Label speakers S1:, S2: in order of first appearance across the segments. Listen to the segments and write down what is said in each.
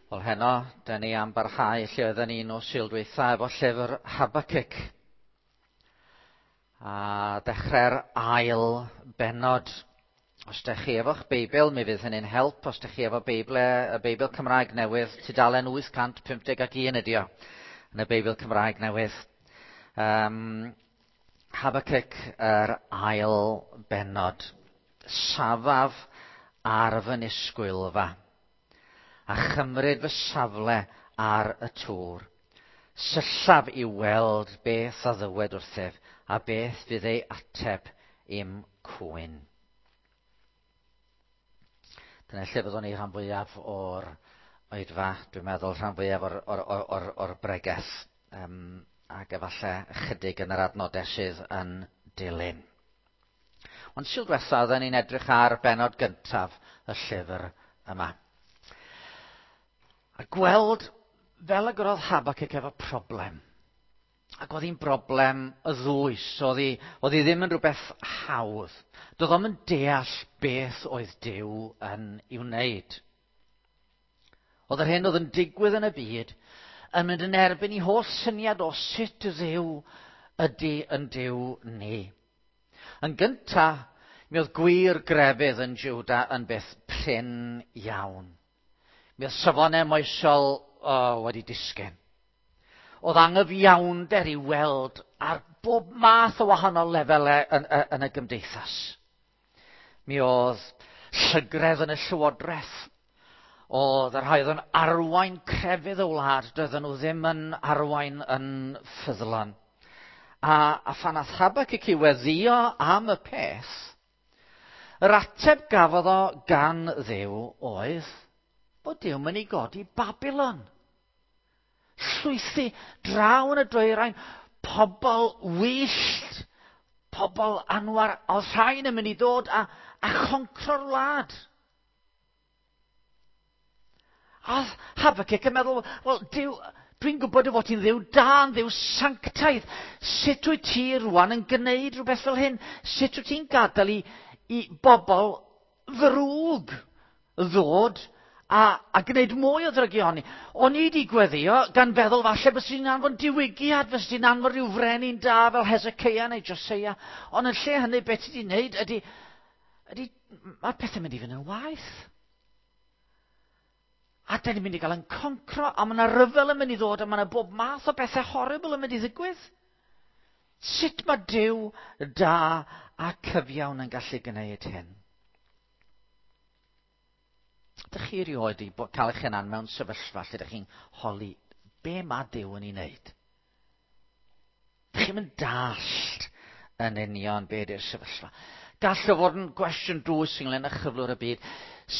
S1: Wel heno, da ni am barhau lle oedden ni nos Sul dwytha efo llyfr Habacuc. A dechrau'r ail bennod. Os da chi efo'ch Beibl, mi fydd hynny'n help. Os da chi efo Beibl, y Beibl Cymraeg newydd, tudalen 851 ydi o, yn y Beibl Cymraeg newydd. Um, Habacuc, yr ail bennod. Safaf ar fy nisgwylfa a chymryd fy safle ar y tŵr. Syllaf i weld beth a ddywed wrthyf a beth fydd ei ateb i'm cwyn. Dyna lle fyddwn ni rhan fwyaf o'r oedfa, dwi'n meddwl rhan fwyaf o'r, or, or, or, or bregeth, um, ac efallai ychydig yn yr adnodau sydd yn dilyn. Ond Sul diwetha, oedden ni'n edrych ar bennod gyntaf y llyfr yma. A gweld fel y gyrodd Habacuc efo problem. Ac oedd hi'n broblem y ddwys, oedd hi, oedd hi ddim yn rhywbeth hawdd. Doedd o'm yn deall beth oedd Duw yn ei wneud. Oedd yr hyn oedd yn digwydd yn y byd yn mynd yn erbyn i holl syniad o sut Dduw ydy yn Duw ni. Yn gynta, mi oedd gwir grefydd yn Juda yn beth prin iawn. Mi oedd safonau moesol oh, wedi disgyn. Oedd angyfiawnder i weld ar bob math o wahanol lefelau yn, yn y gymdeithas. Mi oedd llygredd yn y llywodraeth. Oedd y rhai oedd yn arwain crefydd y wlad, doedden nhw ddim yn arwain yn ffyddlon. A, a phan ath Habacuc i weddio am y peth, yr ateb gafodd o gan Dduw oedd bod Duw mynd i godi Babylon. Llwythi draw yn y dwyrain, pobl wyllt, pobl anwar, oedd rhain yn mynd i ddod a, a choncro'r wlad. A oedd Habacuc yn meddwl, wel, Duw, dwi'n gwybod dy fod ti'n ddiw da, yn ddiw sanctaidd. Sut wyt ti rwan yn gwneud rhywbeth fel hyn? Sut wyt ti'n gadael i, i bobl ddrwg ddod a, a gwneud mwy o ddrygioni? O'n i wedi gweddio gan feddwl falle bys ti'n anfon diwygiad, bys ti'n anfon rhyw frenin da fel Hezekiah neu Josiah. Ond yn lle hynny, beth ti wedi gwneud ydy, ydy mae'r pethau'n mynd i fynd yn waeth. A da ni'n mynd i gael yn concro, a mae yna ryfel yn mynd i ddod, a mae yna bob math o bethau horrible yn mynd i ddigwydd. Sut mae Duw da a cyfiawn yn gallu gwneud hyn? Dych chi erioed i cael eich hunan mewn sefyllfa lle ydych chi'n holi be mae Duw yn ei wneud? Dych chi'n mynd dallt yn union be ydy'r sefyllfa. Gall o fod yn gwestiwn dwys ynglyn â chyflwr y byd.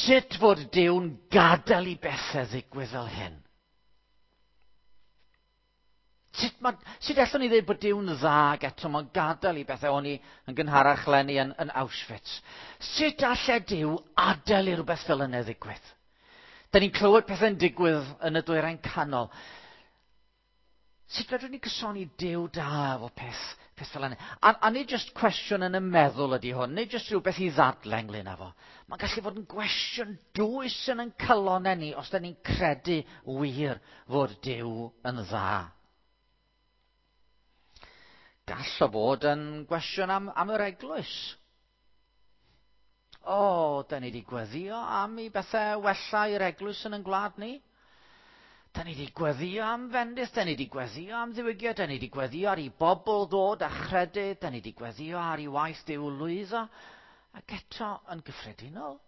S1: Sut fod Duw'n gadael i bethau ddigwydd fel hyn? Sut, ma, sut allwn ni ddweud bod Duw'n dda ac eto mae'n gadael i bethau o'n i yn gynharach lenni yn, yn Auschwitz? Sut allai Duw adael i rhywbeth fel yna ddigwydd? Da ni'n clywed pethau'n digwydd yn y dwyrain canol. Sut fedrwn ni gysoni Duw da efo peth, peth fel yna? A, a nid jyst cwestiwn yn y meddwl ydy hwn, nid jyst rhywbeth i ddadle ynglyn â fo. Mae'n gallu fod yn gwestiwn dwys yn ein calonau ni os da ni'n credu wir fod Duw yn dda. Gall o fod yn gwestiwn am, am yr eglwys. O, da ni wedi gweddio am i bethau wella i'r eglwys yn ein gwlad ni. Da ni wedi gweddio am fendith, da ni wedi gweddio am ddiwygiad, da ni wedi gweddio ar i bobl ddod a chredu, da ni wedi gweddio ar i waith Duw lwyddo. Ac eto, yn gyffredinol,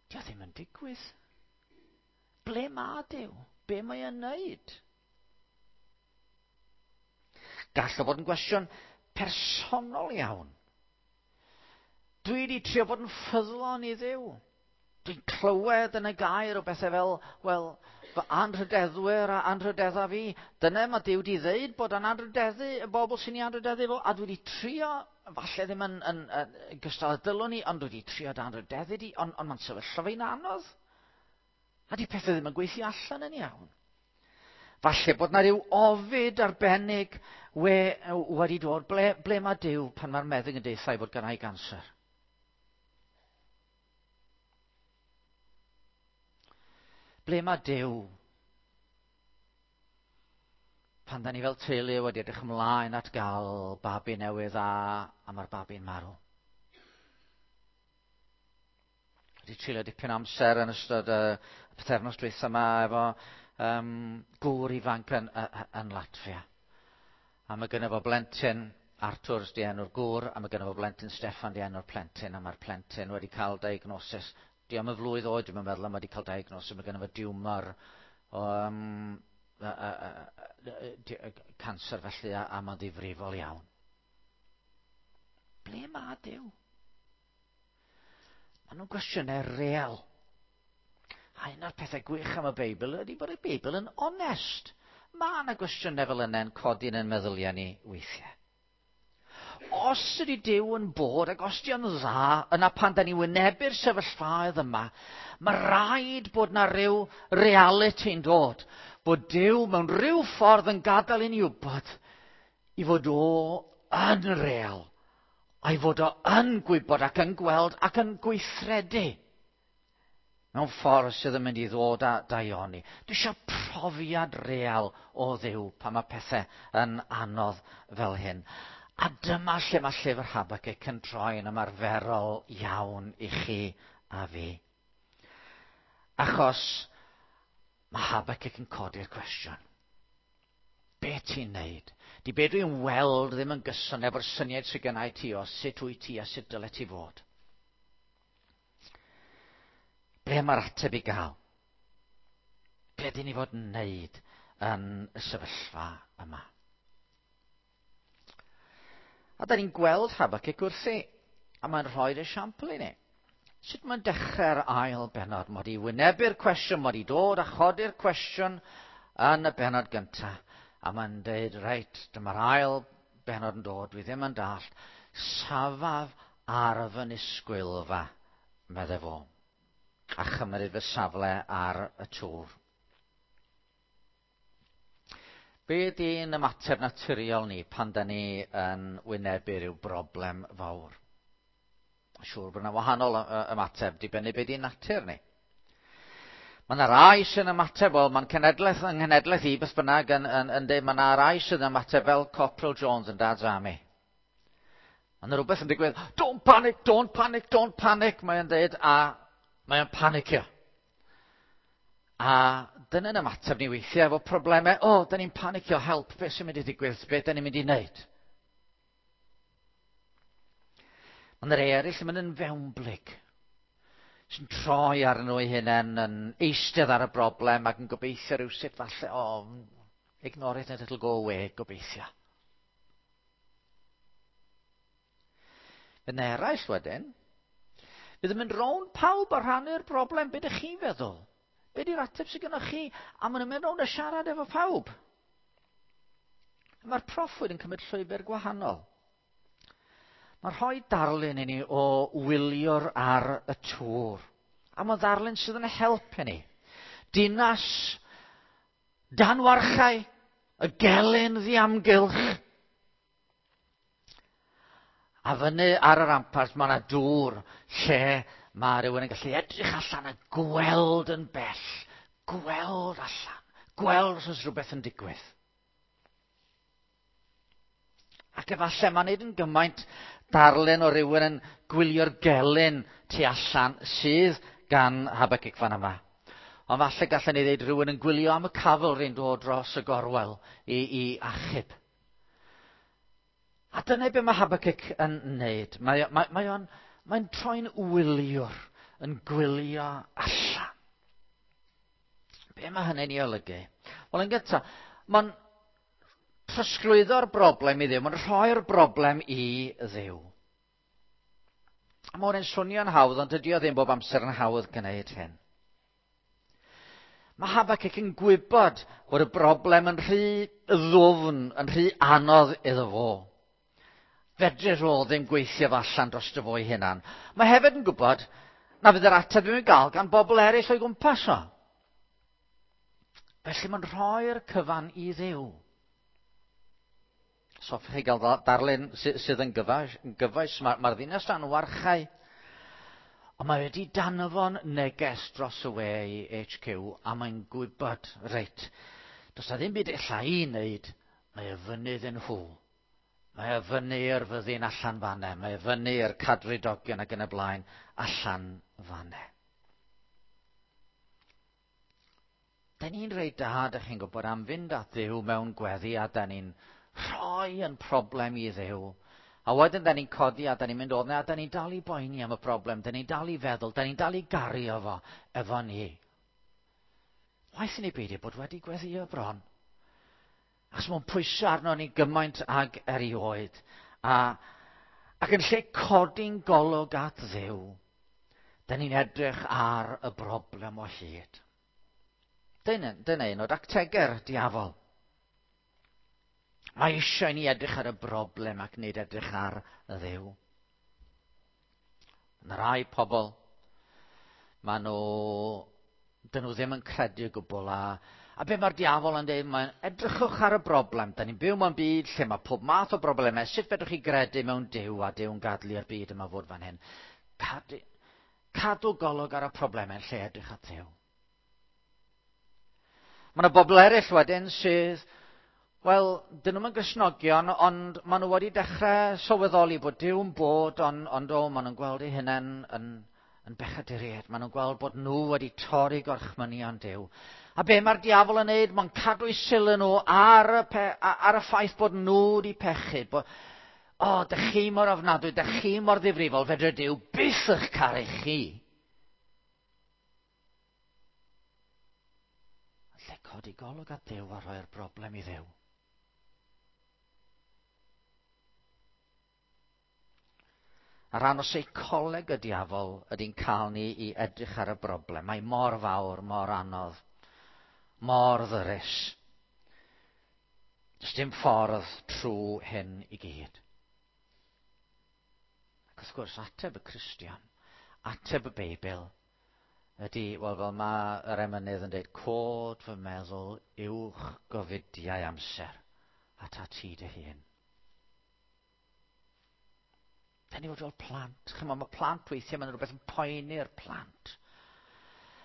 S1: dio ddim yn digwydd. Ble mae Duw? Be mae e'n neud? Gall o fod yn gwestiwn personol iawn. Dwi wedi trio bod yn ffyddlon i Dduw. Dwi'n clywed yn y gair o bethau fel, wel, fy anrhydeddwyr a anrhydedda fi. Dyna mae Duw wedi ddeud bod yn anrhydeddu y bobl sy'n ei anrhydeddu fo, a dwi wedi trio, falle ddim yn, yn, yn, yn gystal â dylwn i, ond dwi wedi trio dy anrhydeddu di, ond, ond mae'n sefyllfa fi'n anodd. A di pethau ddim yn gweithio allan yn iawn. Falle bod na ryw ofid arbennig we, wedi dod. Ble, ble mae Duw pan mae'r meddyg yn deutha i fod gennau ganser? Ble mae Duw Pan da ni fel teulu wedi edrych ymlaen at gael babi newydd a mae'r babi'n marw. Wedi treulio dipyn amser yn ystod y pythefnos dwytha yma efo gŵr ifanc yn Latvia. A mae gynno fo blentyn, Arthur 'di enw'r gŵr, a mae gynno fo blentyn Steffan 'di enw'r plentyn, a mae'r plentyn wedi cael diagnosis. Di am y flwydd oed, dwi'n meddwl, a mae wedi cael diagnosis, mae gynno fo diwmor o canser felly, a mae'n ddifrifol iawn. Ble mae Duw? Maen nhw'n gwestiynau real. A un o'r pethau gwych am y Beibl ydy bod y Beibl yn onest. Mae yna gwestiynau fel yna yn codi yn ein meddyliau ni weithiau. Os ydy Duw yn bod ac os di o'n dda, yna pan da ni wynebu'r sefyllfaoedd yma, mae rhaid bod na ryw realiti'n dod. Bod Duw mewn rhyw ffordd yn gadael i ni wybod i fod o yn real, a'i fod o yn gwybod ac yn gweld ac yn gweithredu mewn ffordd sydd yn mynd i ddod â daioni. Dwi eisiau profiad real o Dduw pan mae pethau yn anodd fel hyn. A dyma lle mae llyfr Habacuc yn troi yn ymarferol iawn i chi a fi. Achos mae Habacuc yn codi'r cwestiwn. Be ti'n neud? Di be dwi'n weld ddim yn gyson efo'r syniad sydd gennau ti o sut wyt ti a sut dyle ti fod. Ble mae'r ateb i gael? Be dyn ni fod yn neud yn y sefyllfa yma? A da ni'n gweld Habacuc wrthi, a mae'n rhoi'r esiampl i ni. Sut mae'n dechrau'r ail bennod? Mae wedi wynebu'r cwestiwn, mae wedi dod a chodi'r cwestiwn yn y bennod gyntaf. A mae'n dweud, reit, dyma'r ail bennod yn dod, dwi ddim yn dallt. Safaf ar fy nisgwylfa, medde fo, a chymryd fy safle ar y tŵr. Be ydy'n ymateb naturiol ni pan da ni yn wynebu rhyw broblem fawr? Siŵr bod yna wahanol ymateb, dibynnu be di'n natur ni. Mae yna rai sy'n ymateb, wel, mae'n cenedlaeth yng nghenedlaeth i, beth bynnag, yn dweud, mae yna rai sy'n ymateb fel Corporal Jones yn Dad's Army. Mae yna rhywbeth yn digwydd, don't panic, don't panic, don't panic, mae'n dweud, a mae'n panicio. A dyna'n ymateb ni weithiau efo problemau, o, oh, da ni'n panicio, help, beth sy'n mynd i ddigwydd, beth da ni'n mynd i wneud? Mae yna rei eraill yn mynd yn fewnblyg, sy'n troi ar nhw eu hunain, yn eistedd ar y broblem ac yn gobeithio rhywsut falle, o, oh, ignore it and it'll go away, gobeithio. Fydd yna eraill wedyn, fydd yn mynd rownd pawb a rhannu'r broblem, be ydych chi'n feddwl? Be di'r ateb sydd gennych chi? A maen nhw'n mynd rownd a siarad efo pawb. Mae'r proffwyd yn cymryd llwybr gwahanol. Mae'n rhoi darlun i ni o wylio'r ar y tŵr. A mae'n ddarlun sydd yn helpu ni. Dinas dan warchau, y gelyn ddiamgylch. A fyny ar y rampart mae yna dŵr lle mae rhywun yn gallu edrych allan a gweld yn bell. Gweld allan. Gweld os oes rhywbeth yn digwydd. Ac efallai mae'n neud yn gymaint darlun o rywun yn gwylio'r gelyn tu allan sydd gan Habacuc fan yma. Ond falle gallen ni ddeud rhywun yn gwylio am y cavalry'n dod dros y gorwel i achub. A dyna be mae Habacuc yn neud. Mae'n troi'n wyliwr, yn gwylio allan. Be mae hynny'n ei olygu? Wel, yn gyntaf, mae'n trosglwyddo'r broblem i Dduw, mae'n rhoi'r broblem i Dduw. A mae hwn yn swnio'n hawdd, ond dydy o ddim bob amser yn hawdd gwneud hyn. Mae Habacuc yn gwybod bod y broblem yn rhy ddwfn, yn rhy anodd iddo fo. Fedrith o ddim gweithio fo allan dros fo ei hunan. Mae hefyd yn gwybod na fydd yr ateb ddim yn gael gan bobl eraill o'i gwmpas o. Felly mae'n rhoi'r cyfan i Dduw. So hoffech chi gael darlun sydd yn gyfoes, mae'r ddinas dan warchau. Ond mae wedi danfon neges dros y we i HQ a mae'n gwybod, reit, does na ddim byd ella i wneud Mae e fyny iddyn nhw. Mae e fyny i'r fyddin allan fanne. Mae e fyny i'r cadfridogion ac yn y blaen allan fanne. Da ni'n reit da, da chi'n gwybod, am fynd at Dduw mewn gweddi a da ni'n rhoi yn problem i Dduw. A wedyn da ni'n codi a da ni'n mynd odne a da ni'n dal i boeni am y broblem, da ni'n dal i feddwl, da ni'n dal i gario fo efo ni. Waeth i ni beidio bod wedi gweddio bron. Achos mae'n pwyso arno ni gymaint ag erioed. A, ac yn lle codi'n golwg at Dduw, da ni'n edrych ar y broblem o hyd. Dyna, dyna un o dactegau'r diafol. Mae eisiau ni edrych ar y broblem ac nid edrych ar y Dduw. Yna rai pobl, maen nhw, dyn nhw ddim yn credu o gwbl a, a be mae'r diafol yn dweud, mae'n edrychwch ar y broblem. Da ni'n byw mewn byd lle mae pob math o broblemau. Sut fedrwch chi gredu mewn Duw a Duw'n gadlu i'r byd yma fod fan hyn? Cadw, cadw golwg ar y problemau yn lle edrych at Dduw. Mae yna bobl eraill wedyn sydd, wel, dyn nhw'm yn Gristnogion, ond maen nhw wedi dechrau sylweddoli bod Duw'n bod, ond, ond o, maen nhw'n gweld eu hunain yn, yn bechaduriaid. Maen nhw'n gweld bod nhw wedi torri gorchmynion Duw. A be mae'r diafol yn neud? Mae'n cadw eu sylw nhw ar y, pe, ar y ffaith bod nhw wedi pechu. Bod, o, oh, dych chi mor ofnadwy, dych chi mor ddifrifol, fedre Duw byth eich caru chi. Yn lle codi golwg at Dduw a rhoi'r broblem i Dduw. A rhan o seicoleg y diafol ydy'n cael ni i edrych ar y broblem. Mae mor fawr, mor anodd, mor ddyrus. Does dim ffordd trwy hyn i gyd. Ac wrth gwrs, ateb y Cristion, ateb y Beibl, ydy, wel fel mae yr emynydd yn dweud, cod fy meddwl uwch gofidiau amser at at ti dy hun. Da ni fod fel plant. Chymod, mae plant weithiau, mae'n rhywbeth yn poeni'r plant.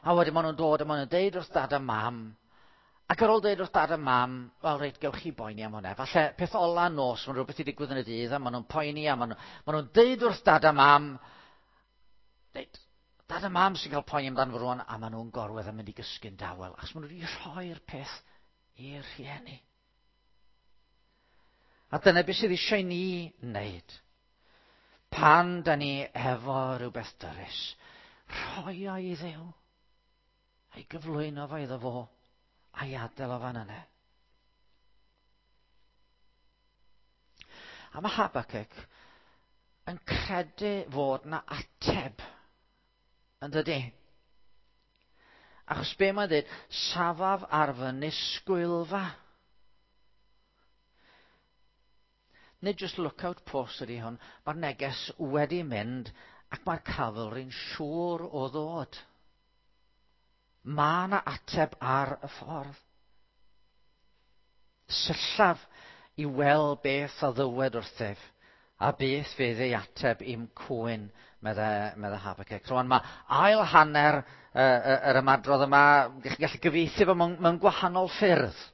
S1: A wedyn maen nhw'n dod a maen nhw'n deud wrth dad a mam, ac ar ôl deud wrth dad a mam, wel reit, gewch chi boeni am hwnna. Falle peth ola nos, mae'n rhywbeth i digwydd yn y dydd, a maen nhw'n poeni, a maen nhw'n nhw deud wrth dad a mam, deud, dad a mam sy'n cael poeni amdano fo rwan, a maen nhw'n gorwedd a mynd i gysgu'n dawel, achos maen nhw wedi rhoi'r peth i'r rhieni. A dyna beth sydd eisiau ni wneud. Pan da ni efo rhywbeth dyrys, rhoi o i Dduw, a'i gyflwyno fo iddo fo, a'i adael o fan yna. A mae Habakkuk yn credu fod na ateb, yn dydy? Achos be mae'n dweud, safaf ar fy nisgwylfa. Nid just lookout post ydy hwn, mae'r neges wedi mynd ac mae'r cavalry'n siŵr o ddod. Mae yna ateb ar y ffordd. Syllaf i weld beth a ddywed wrthyf, a beth fydd ei ateb i'm cwyn, medde, medde Habakkuk. Rwan mae ail hanner uh, yr ymadrodd yma, chi'n gallu gyfieithu fo mewn, mewn gwahanol ffyrdd.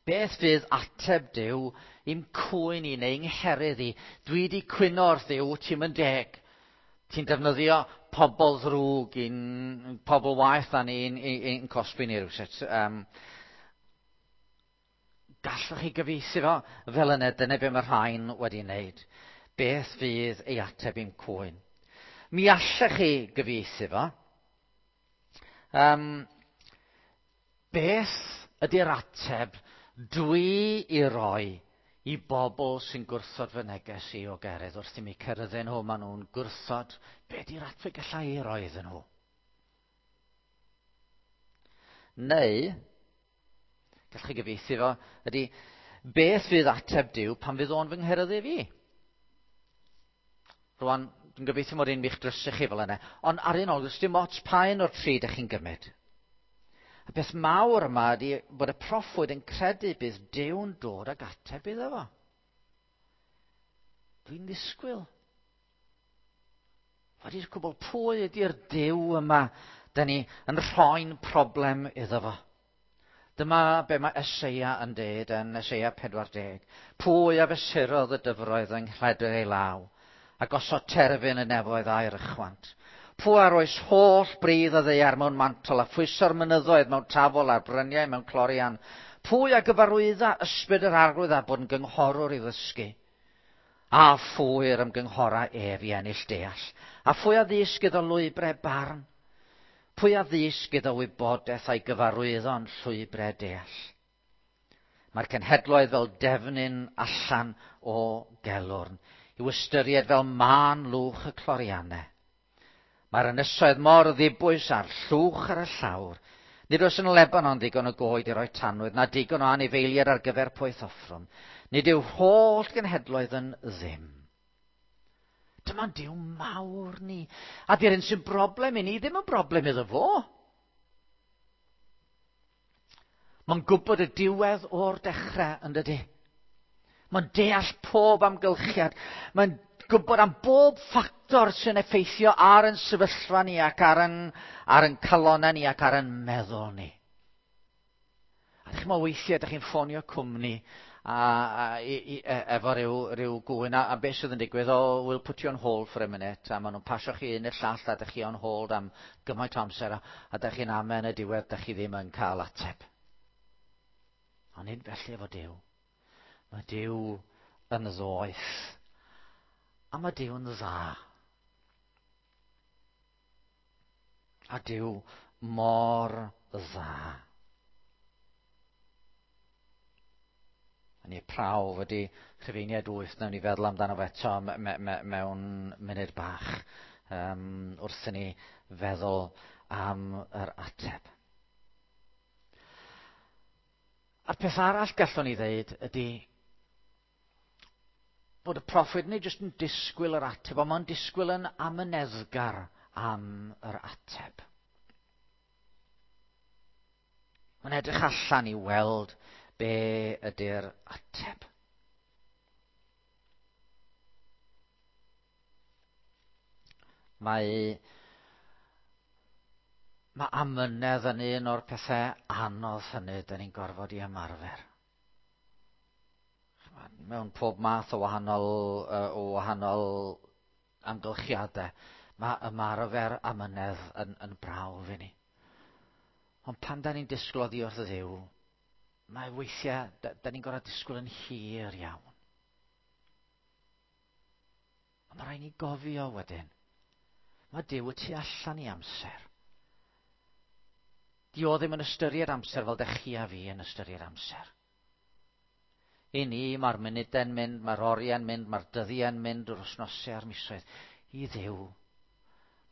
S1: Beth fydd ateb Duw i'm cwyn i neu ngherydd i? Dwi wedi cwyno wrth Dduw, ti'n mynd deg. Ti'n defnyddio pobl ddrwg i'n pobl waeth na ni'n i'n cosbi ni rhywsut. Um, gallwch chi gyfieithu fo fel yna, dyna be mae rhain wedi wneud. Beth fydd ei ateb i'n cwyn? Mi allech chi gyfieithu fo. Um, beth ydy'r ateb dwi i roi i bobl sy'n gwrthod fy neges i o gerydd wrth i mi ceryddu nhw, maen nhw'n gwrthod. Be di'r ateb gallai i roi iddyn nhw? Neu, gallwch chi gyfieithu fo, ydy, beth fydd ateb Duw pan fydd o'n fy ngheryddu fi? Rwan, dwi'n gobeithio mod i'n mi'ch drysu chi fel yna, ond ar un olwg, dim ots pa un o'r tri ydych chi'n gymryd. Y peth mawr yma ydy bod y proffwyd yn credu bydd Duw'n dod ag ateb iddo fo. Dwi'n ddisgwyl. Wedi'r cwbl, pwy ydy'r Duw yma da ni yn rhoi'n problem iddo fo? Dyma be mae Eseia yn deud yn Eseia 40. Pwy a fesurodd y dyfroedd yng nghledr ei law, a gosod terfyn y nefoedd a'r ychwant? Pwy a roes holl bridd y ddaear mewn mantol, a phwyso'r mynyddoedd mewn tafol a'r bryniau mewn clorian? Pwy a gyfarwydda ysbryd yr Arglwydd a bod yn gynghorwr i ddysgu? A phwy yr ymgynghora ef i ennill deall? A phwy a ddysg iddo lwybrau barn? Pwy a ddysg iddo wybodaeth a'i gyfarwyddo'n llwybrau deall? Mae'r cenhedloedd fel defnyn allan o gelwrn, i'w ystyried fel mân lwch y cloriannau. Mae'r ynysoedd mor ddibwys a'r llwch ar y llawr. Nid oes yn Lebanon ddigon o goed i roi tanwydd, na digon o anifeiliaid ar gyfer poeth offrwm. Nid yw holl genhedloedd yn ddim. Dyma'n Duw mawr ni. A di'r un sy'n broblem i ni ddim yn broblem iddo fo. Mae'n gwybod y diwedd o'r dechrau, yn dydy? Mae'n deall pob amgylchiad. Mae'n gwybod am bob ffactor sy'n effeithio ar yn sefyllfa ni ac ar yn, ar yn calonau ni ac ar yn meddwl ni. A ydych chi'n meddwl weithiau, ydych chi'n ffonio cwmni a efo rhyw gŵyn, a beth sydd yn digwydd, "Oh, we'll put you on hold for a minute," a maen nhw'n pasio chi un i'r llall, a ydych chi on hold am gymaint o amser, a ydych chi'n amau yn y diwedd, ydych chi ddim yn cael ateb. Ond nid felly efo Duw. Mae Duw yn ddoeth. A mae Duw yn dda. A Duw mor dda. A ni prawf ydy Rhufeiniaid 8, nawn ni feddwl amdano fe eto mewn munud bach wrth i ni feddwl am yr ateb. A'r peth arall gallwn ni ddeud ydy bod y proffwyd nid jyst yn disgwyl yr ateb, ond mae'n disgwyl yn amyneddgar am yr ateb. Mae'n edrych allan i weld be ydy'r ateb. Mae amynedd yn un o'r pethau anodd hynny dyn ni'n gorfod i ymarfer. Mewn pob math o wahanol amgylchiadau, mae ymarfer amynedd yn brawf i ni. Ond pan da ni'n disgwyl oddi wrth Dduw, mae weithiau, da ni'n gorfod disgwyl yn hir iawn. Ond mae rhaid ni gofio wedyn, mae Duw y tu allan i amser. Di o ddim yn ystyried amser fel dech chi a fi yn ystyried amser. I ni, mae'r munudau'n mynd, mae'r oriau'n mynd, mae'r dyddiau'n mynd, yr wythnosau a'r misoedd. I Dduw,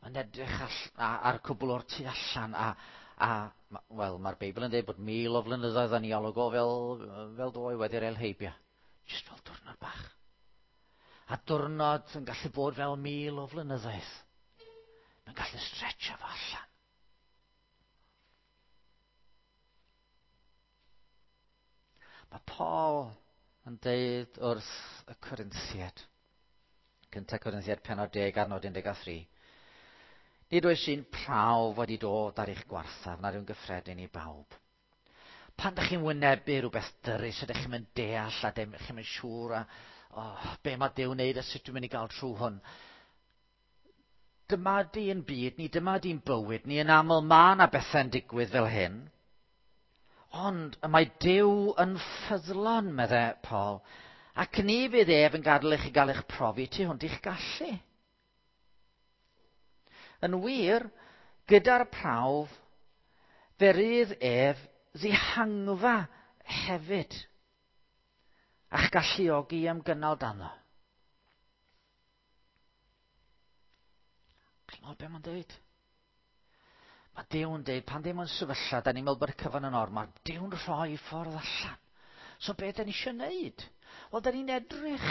S1: mae'n edrych ar cwbl o'r tu allan a wel, mae'r Beibl yn dweud bod 1,000 o flynyddoedd yn ei olwg o fel ddoe wedi'r eil heibio. Just fel diwrnod bach. A diwrnod yn gallu bod fel 1,000 o flynyddoedd. Mae'n gallu stretcho fo allan. Mae Paul yn deud wrth y Corinthiaid, 1 Corinthiaid penod 10 adnod 13, "Nid oes un prawf wedi dod ar eich gwarthaf nad yw'n gyffredin i bawb." Pan ydych chi'n wynebu rhywbeth dyrys, ydych chi'n mynd deall a dim, chi'n mynd siŵr a oh, be mae Duw wneud a sut dwi'n mynd i gael trwy hwn. Dyma di'n byd ni, dyma di'n bywyd ni. Yn aml mae yna bethau'n digwydd fel hyn. Ond y mae Duw yn ffyddlon, medde Paul, ac ni fydd ef yn gadael i chi gael eich profi tu hwnt i'ch gallu. Yn wir, gyda'r prawf, fe rydd ef ddihangfa hefyd, a'ch galluogi am gynnal dano. Chi'n meddwl beth mae'n dweud? Mae Duw yn dweud, pan ddim yn sefyllfa, da ni'n meddwl bod y cyfan yn ormod, Duw'n rhoi ffordd allan. So be da ni eisiau wneud? Wel, da ni'n edrych.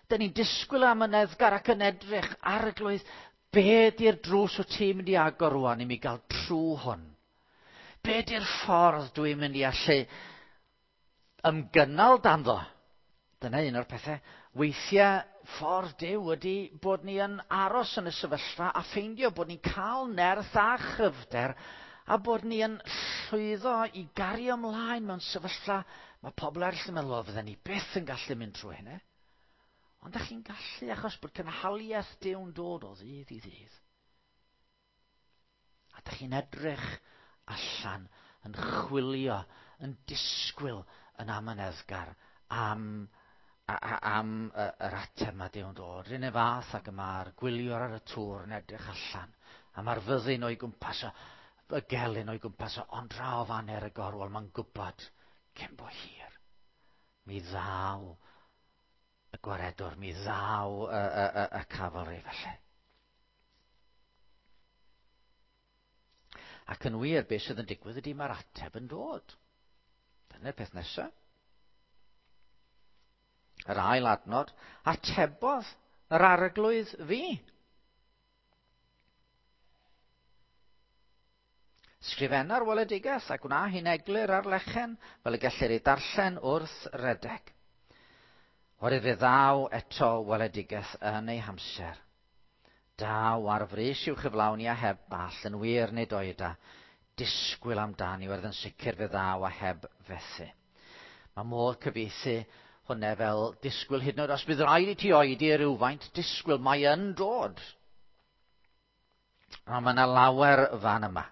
S1: Da ni'n disgwyl amyneddgar ac yn edrych, "Arglwydd, be di'r drws wyt ti'n mynd i agor rwan i mi gael trwy hwn? Be di'r ffordd dwi'n mynd i allu ymgynnal danddo?" Dyna un o'r pethau. Weithiau, ffordd Duw ydy bod ni yn aros yn y sefyllfa a ffeindio bod ni'n cael nerth a chryfder A bod ni yn llwyddo i gario ymlaen mewn sefyllfa, mae pobl eraill yn meddwl, o, fydden ni byth yn gallu mynd trwy hynny. Ond ydych chi'n gallu achos bod cynhaliaeth Duw'n dod o ddydd i ddydd. A ydych chi'n edrych allan, yn chwilio, yn disgwyl yn amyneddgar am, am yr ateb mae Duw'n dod. R'un fath ag y mae'r gwyliwr ar y tŵr yn edrych allan, a mae'r fyddin o'i gwmpas o, y gelyn o'i gwmpas o, ond draw faner y gorwel, mae'n gwybod cyn bo hir. Mi ddaw y gwaredwr, mi ddaw y, y, y, y cavalry felly. Ac yn wir, beth sydd yn digwydd ydy mae'r ateb yn dod. Dyna'r peth nesaf. Yr ail adnod, atebodd yr arglwydd fi. Sgrifenna'r weledigaeth a gwna hi'n eglur ar lechen fel y gellir ei darllen wrth redeg. Oherwydd fe ddaw eto weledigaeth yn ei hamser. Daw ar frys i'w chyflawni a heb ball, yn wir nid oeda. Disgwyl amdani, oherwydd yn sicr fe ddaw a heb fethu. Mae modd cyfieithu hwnna fel disgwyl hyd yn oed os bydd rhaid i ti oedi rhywfaint, disgwyl, mae yn dod. A mae yna lawer fan yma.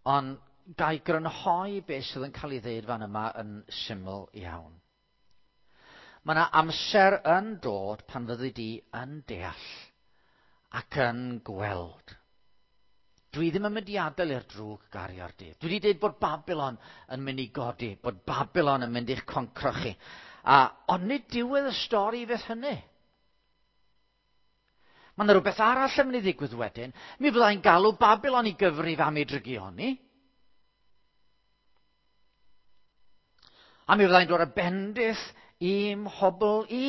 S1: Ond gai grynhoi beth sydd yn cael ei ddeud fan yma yn syml iawn. Mae yna amser yn dod pan fyddi di yn deall ac yn gweld. Dwi ddim yn mynd i adael i'r drwg gario'r dydd. Dwi wedi dweud bod Babylon yn mynd i godi, bod Babylon yn mynd i'ch concro chi. A, ond nid diwedd y stori fydd hynny. Mae yna rhywbeth arall yn mynd i ddigwydd wedyn. Mi fyddai'n galw Babylon i gyfrif am ei drygioni. A mi fyddai'n dod â bendith i'm hobl i.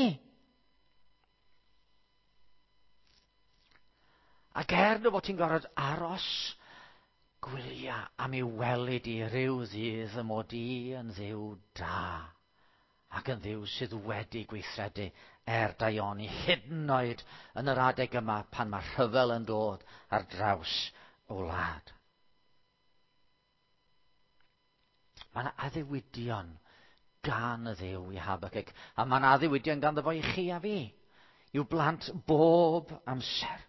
S1: Ac er dy fod ti'n gorfod aros, gwylia am i welyd i ryw ddydd y mod i yn Dduw da, ac yn Dduw sydd wedi gweithredu er daioni, hyd yn oed yn yr adeg yma pan mae rhyfel yn dod ar draws y wlad. Mae yna addewidion gan y Dduw i Habakkuk, a mae yna addewidion ganddo fo i chi a fi, i'w blant bob amser.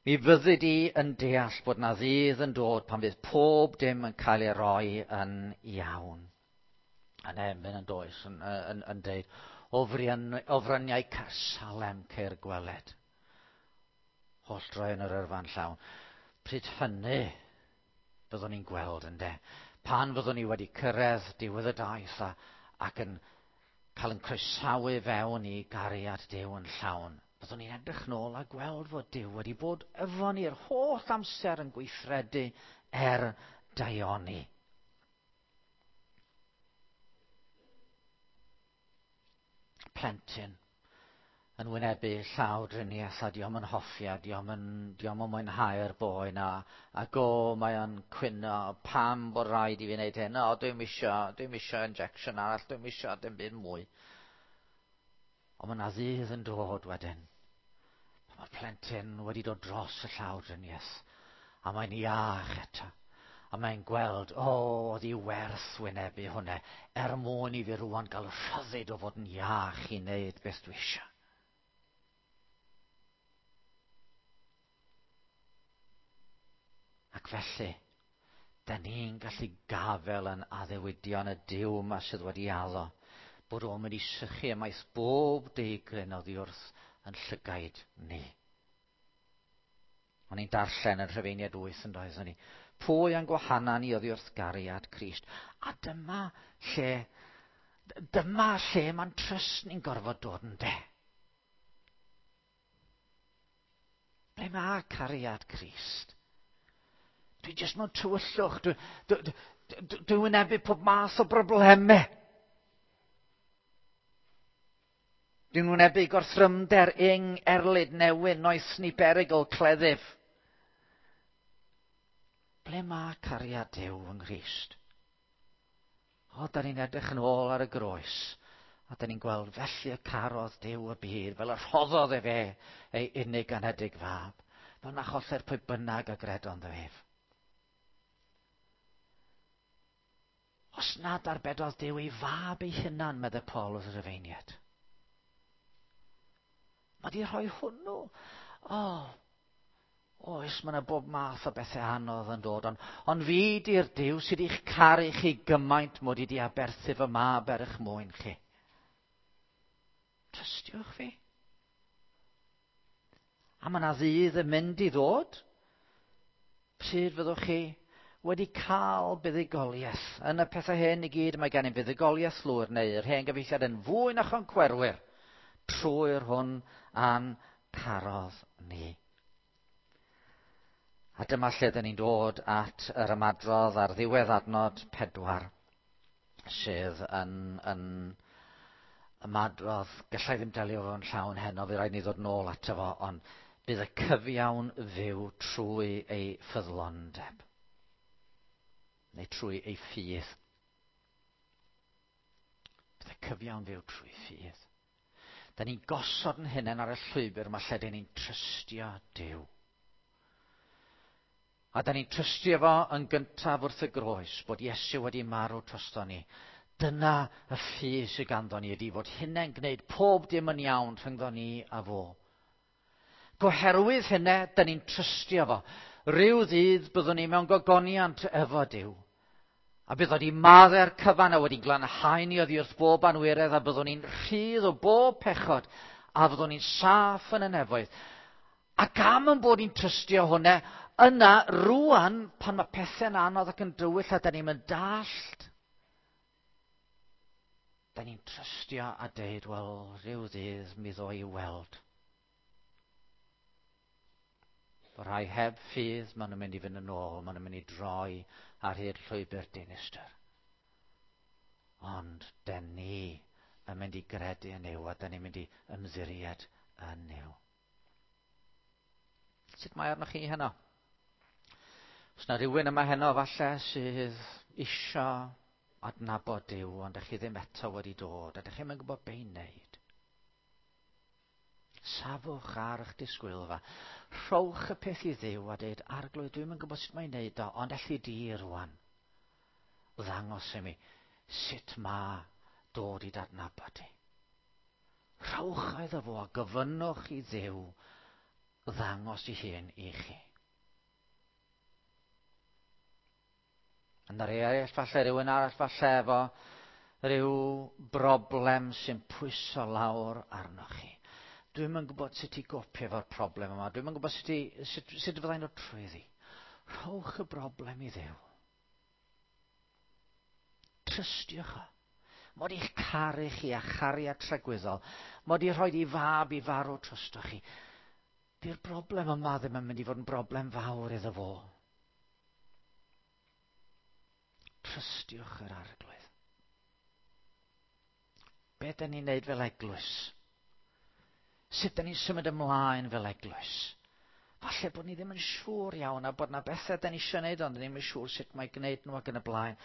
S1: Mi fyddi di yn deall bod na ddydd yn dod pan fydd pob dim yn cael ei roi yn iawn. Yn emyn yn does, yn, yn, yn deud, o, frian, o fryniau Caersalem ceir gweled. Holl droi yn yr yrfa'n llawn. Pryd hynny byddwn ni'n gweld ynde. Pan fyddwn ni wedi cyrraedd diwedd y daith a, ac yn cael yn croesawu fewn i gariad Duw yn llawn. Byddwn ni'n edrych nôl a gweld fod Duw wedi bod efo ni'r holl amser yn gweithredu er daioni. Plentyn yn wynebu llaw driniaeth a diom yn hoffi a diom yn, diom yn mwynhau'r boen a, ac o, mae o'n cwyno pam bod rhaid i fi wneud hyn, o, dwi'm isio, dwi'm isio injection arall, dwi'm isio dim byd mwy. Ond mae yna ddydd yn dod wedyn. Mae'r plentyn wedi dod dros y llaw driniaeth a mae'n iach eto. A mae'n gweld, o, oedd hi werth wynebu hwnna, er mwyn i fi rwan gael rhyddid o fod yn iach i wneud beth dwi eisiau. Ac felly, da ni'n gallu gafel yn addewidion y Duw yma sydd wedi addo, bod o'n mynd i sychu ymaith bob deigryn oddi wrth yn llygaid ni. O'n i'n darllen yn Rhufeiniaid 8 yn doedd ni. Pwy a'n gwahana ni oddi wrth gariad Crist? A dyma lle, dyma lle mae'n trust ni'n gorfod dod yn de. Ble mae cariad Crist? Dwi jyst mewn tywyllwch. Dwi, dwi, dwi, dwi wynebu pob math o broblemau. Dwi'n wynebu gorthrymder, ing, erlid, newyn, noethni, berygl, cleddyf. Ble mae cariad Duw yng Nghrist? O, da ni'n edrych yn ôl ar y groes. A da ni'n gweld felly y carodd Duw y byd, fel y rhoddodd e fe ei unig anedig fab. Fel na choller pwy bynnag a gredo ynddo ef. Os nad arbedodd Duw ei fab ei hunan, meddai Paul wrth y Rufeiniaid. Mae di rhoi hwnnw. O, oes, mae yna bob math o bethau anodd yn dod, ond, ond fi di'r Duw sydd i'ch caru chi gymaint mod i di aberthu fy mab er eich mwyn chi. Trystiwch fi. A mae yna ddydd yn mynd i ddod. Pryd fyddwch chi wedi cael buddugoliaeth? Yn y pethau hyn i gyd mae gennym fuddugoliaeth lwyr neu yr hen gyfieithiad yn fwy na choncwerwyr trwy'r hwn a'n carodd ni. A dyma lle dyn ni'n dod at yr ymadrodd ar ddiwedd adnod 4, sydd yn ymadrodd, gallai ddim delio fo'n llawn heno, fe rhaid ni ddod nôl ato fo, ond bydd y cyfiawn fyw trwy ei ffyddlondeb, neu trwy ei ffydd. Bydd y cyfiawn fyw trwy ffydd. Da ni'n gosod yn hunain ar y llwybr yma lle dyn ni'n trystio Duw. A da ni'n trystio fo yn gyntaf wrth y groes, bod Iesu wedi marw drosto ni. Dyna y ffydd sydd ganddo ni, ydy fod hynny'n gwneud pob dim yn iawn rhyngddo ni a fo. Goherwydd hynny, da ni'n trystio fo. Rhyw ddydd byddwn ni mewn gogoniant efo Duw. A bydd wedi maddau'r cyfan a wedi glanhau ni oddi wrth bob anwiredd, a byddwn ni'n rhydd o bob pechod, a fyddwn ni'n saff yn y nefoedd. Ac am yn bod ni'n trystio hwnna, yna rwan, pan mae pethau'n anodd ac yn dywyll a da ni'n mynd dallt, da ni'n trystio a deud, wel, rhyw ddydd mi ddo i weld. Fy rhai heb ffydd, maen nhw'n mynd i fynd yn ôl, maen nhw'n mynd i droi ar hyd llwybr dinistr. Ond den ni yn mynd i gredu yn Nuw, a den ni'n mynd i ymddiried yn Nuw. Sut mae arnoch chi heno? Os na rhywun yma heno falle sydd isio adnabod Duw, ond ydych chi ddim eto wedi dod, a ydych chi'n mynd gwybod be i wneud. Safwch ar eich disgwylfa. Rhowch y peth i Dduw a dweud, Arglwydd, dwi'm yn gwybod sut mae'n wneud o, ond elli di rwan ddangos i mi sut mae dod i dadnabod ti. Rhowch iddo fo a gofynnwch i Dduw ddangos i hun i chi. Yna rhai eraill, falle rhywun arall, falle efo rhyw broblem sy'n pwyso lawr arnoch chi. Dwi'm yn gwybod sut i gopio efo'r broblem yma. Dwi'm yn gwybod sut fyddai'n dod trwyddi. Rhowch y broblem i Dduw. Trystiwch o. Mod i'ch caru chi a chariad tragwyddol. Mod i rhoi i fab i farw drostoch chi. Di'r broblem yma ddim yn mynd i fod yn broblem fawr iddo fo. Trystiwch yr Arglwydd. Be dyn ni'n neud fel eglwys? Sut dyn ni'n symud ymlaen fel eglwys? Falle bod ni ddim yn siŵr iawn a bod na bethau dyn ni eisiau neud, ond ddim yn siŵr sut mae gwneud nhw ac yn y blaen.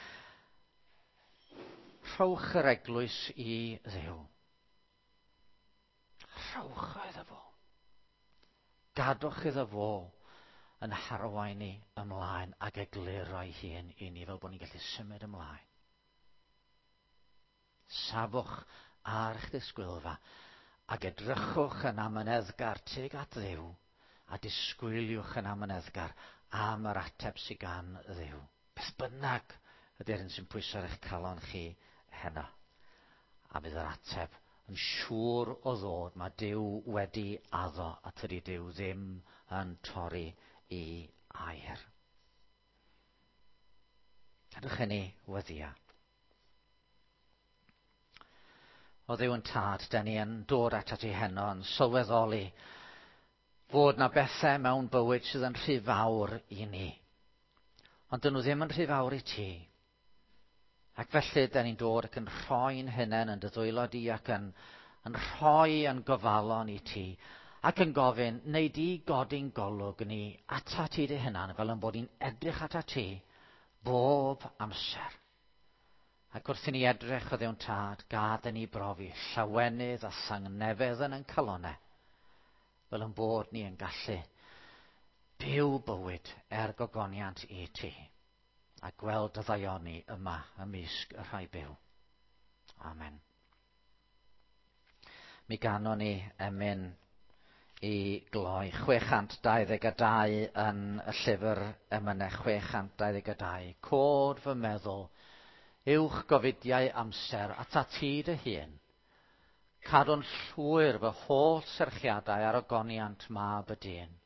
S1: Rhowch yr eglwys i Dduw. Rhowch iddo fo. Gadwch iddo fo yn harwain ni ymlaen ac egluro ei hun i ni fel bod ni'n gallu symud ymlaen. Safwch ar eich disgwylfa ac edrychwch yn amyneddgar tuag at Dduw a disgwyliwch yn amyneddgar am yr ateb sydd gan Dduw. Beth bynnag ydy'r hyn sy'n pwyso ar eich calon chi heno. A bydd yr ateb yn siŵr o ddod. Mae Duw wedi addo a tydi Duw ddim yn torri i air. Gadwch i ni weddio. O Dduw yn Tad, da ni yn dod atat ti heno yn sylweddoli fod na bethau mewn bywyd sydd yn rhy fawr i ni. Ond dyn nhw ddim yn rhy fawr i ti. Ac felly, da ni'n dod ac yn rhoi'n hunain yn dy ddwylo di ac yn rhoi yn gofalon i ti ac yn gofyn, neu di godi'n golwg ni ata ti dy hunan fel yn bod ni'n edrych ata ti bob amser. Ac wrth i ni edrych o Dduw'n Tad, gad i ni brofi llawenydd a thangnefedd yn ein calonnau, fel yn bod ni yn gallu Byw bywyd er gogoniant i ti, a gweld dy ddaioni yma ymysg y rhai byw. Amen. Mi ganon ni emyn i gloi 622 yn y llyfr emynau 622. Cod fy meddwl, uwch gofidiau amser at ti dy hun. Cadw'n llwyr fy holl serchiadau ar ogoniant mab y dyn.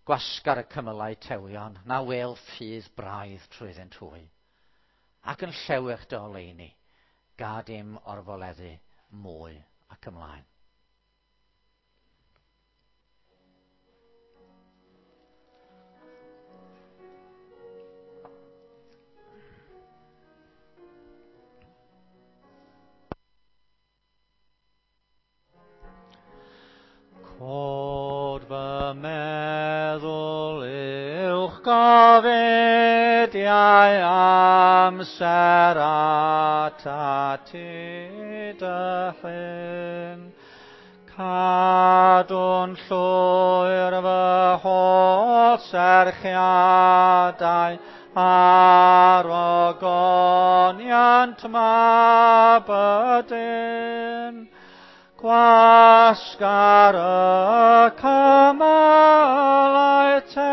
S1: Gwasgar y cymylau tewion, na wel ffydd braidd trwyddynt hwy. Ac yn llewyrch dy oleuni, gad im orfoleddu mwy ac ymlaen. Cod fy meddwl uwch gofidiau amser atat ti dy hun. Cadw'n llwyr fy holl serchiadau ar ogoniant mab y dyn. Gwasgar y cymylau te.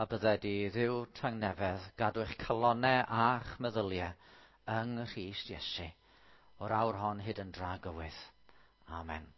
S1: A bydded i Dduw tangnefedd gadw eich calonnau a'ch meddyliau yng Nghrist Iesu, o'r awr hon hyd yn dragywydd. Amen.